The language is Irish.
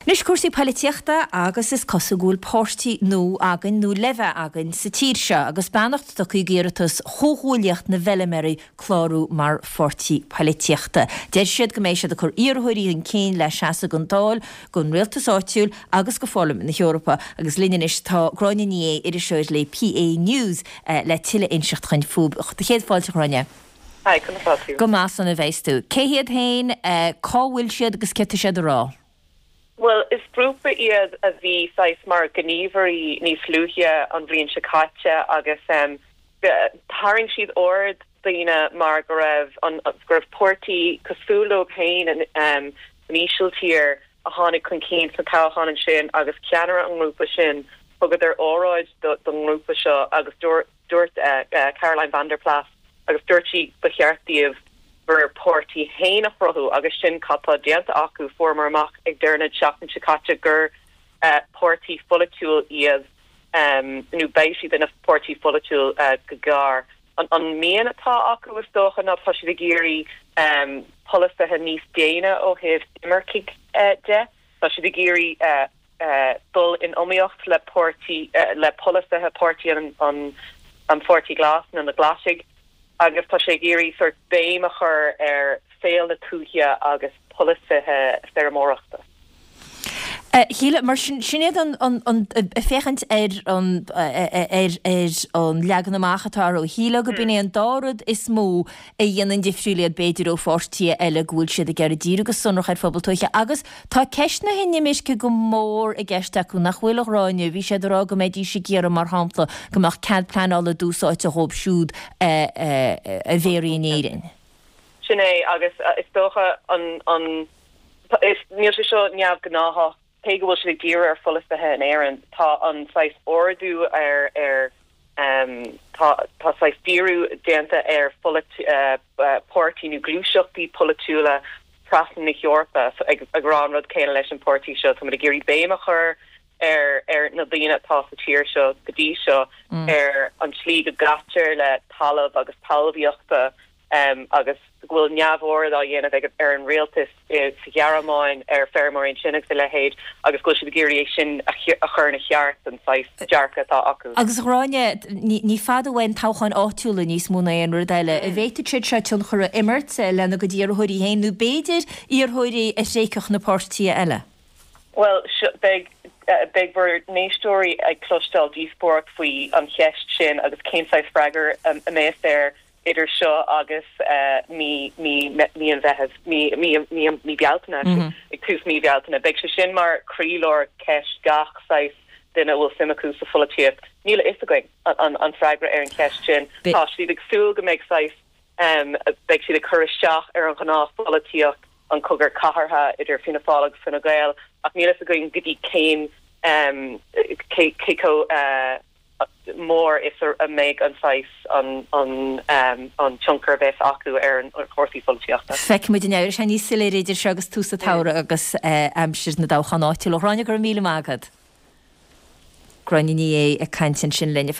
Anois cúrsaí poilitíochta agus is cosúil go bhfuil páirtí nua againn, nó le bheith againn, sa tír seo agus beannacht tugtha d'iarratas Chomhghuaillíocht na bhFeilméaraí clárú mar pháirtí poilitíochta. Deir siad go mbeidh siad ag cur iarrthóirí chun cinn le seasamh don Dáil, don Rialtas Áitiúil agus go Pharlaimint na hEorpa. Agus linn anois tá Gráinne Ní Aodha, iriseoir le PA News, le tuilleadh a inseacht dhuinn fúthu. Céad fáilte, a Ghráinne. Hi, conas tá tú? Go maith, sona a bheas tú. Cé hiad féin, cá bhfuil siad agus céard tá siad a rá? Bhuel, is grúpa iad a bhí saghas mar ghníomhairí níos luaithe an bhliain seo caite agus tharraing siad aird daoine mar go raibh an, go raibh páirtí cosúil leo féin san Ísiltír a tháinig chun cinn sna toghcháin ansin agus ceannaire an ngrúpa sin, thugadar óráid don ngrúpa seo agus dúirt Dúirt Caroline van der Plas agus dúirt sí ba cheart daoibh bhur páirtí fhéin a chruthú agus sin cad tá déanta acu. Fuaireamar amach ag deireadh na seachtaine seo caite gur páirtí pholaitiúil iad nó beidh siad ina pháirtí pholaitiúil go gearr. An mian atá acu is dócha ná tá siad ag iarraidh polasaithe níos déine ó thaobh imircigh de. Tá siad ag iarraidh dul in iomaíocht le páirtí, le polasaithe páirtí an an Pháirtí Glas nó na Glaisigh agus tá sé ag iarraidh sórt béim a chur ar saol na tuaithe agus polasaithe feirmeoireachta. A Shíle, mar sin, sin iad an, an, an, ag féachaint ar an, ar, ar an leagan amach atá orthu, shílfeá go b'in é an dá rud is mó a dhéanann difriúil iad b'fhéidir ó pháirtithe eile go bhfuil siad ag iarraidh díriú go sonrach ar phobal tuaithe agus tá ceist na hinimirce go mór i gceist acu, nach bhfuil, a Ghráinne? Bhí siad ag rá go mbeidís ag iarraidh, mar shampla, go mbeadh cead pleanála dtús áite dhóibh siúd a bhéarfaí in Éirinn. Sin é, agus is dócha an, an, is, níl sé seo neamhghnáthach, cé go bhfuil siad ag díriú ar pholasaithe in Éirinn, tá an saghas ardú ar, ar, tá, tá saghas díriú déanta ar pháirtí nó gluaiseachtaí polaitiúla trasna na hEorpa ag, ag rá an rud céanna leis an pháirtí seo, táimid ag iarraidh béim a chur ar, ar na daoine atá sa tír seo go dtí seo, ar an tslí go gcaitear le talamh agus talmhaíochta. agus go bhfuil neamhaird á dhéanamh ag ar an rialtas sa Ghearmáin ar feirmeoirí ansin agus a leithéid agus go bhfuil siad ag iarraidh é sin a chur ina cheart, an saghas dearcadh atá acu. Agus a Ghráinne, ní fada uainn toghcháin áitiúla níos mó ná aon rud eile. An bhféadfadh siad seo tionchar a imirt lena gcuid iarrthóirí féin nó b'fhéidir iarrthóirí a thréigfeadh na páirtithe eile? Bhuel, beidh, beidh bhur n-éisteoirí ag cloisteáil díospóireacht faoi an cheist sin agus cén saghas freagra a mbeas air idir seo agus mí, mí, mí an Mheithimh, mí, mí, mí, mí Bealtaine, actually, ag tús mí Bhealtaine. Beidh sé sin mar chroílár ceist gach saghas duine a bhfuil suim acu sa pholaitíocht. Níl a fhios againn an, an freagra ar an cheist sin. Tá siad ag súil go mbeidh saghas, beidh siad ag cur isteach ar an ghnáthpholaitíocht, an cogadh cathartha idir Fianna Fáil agus Fine Gael, ach níl a fhios againn go dtí cén, cé, cé chomh mór is a mbeidh an saghas, an tionchar a bheas acu ar chúrsaí pholaitíochta. Feicfidh muid an éireoidh sé níos soiléire idir seo agus tús an tsamhraidh agus aimsir na dtoghchán áitiúil. A Ghráinne, go raibh míle maith agat. Gráinne Ní Aodha ag caint ansin linn.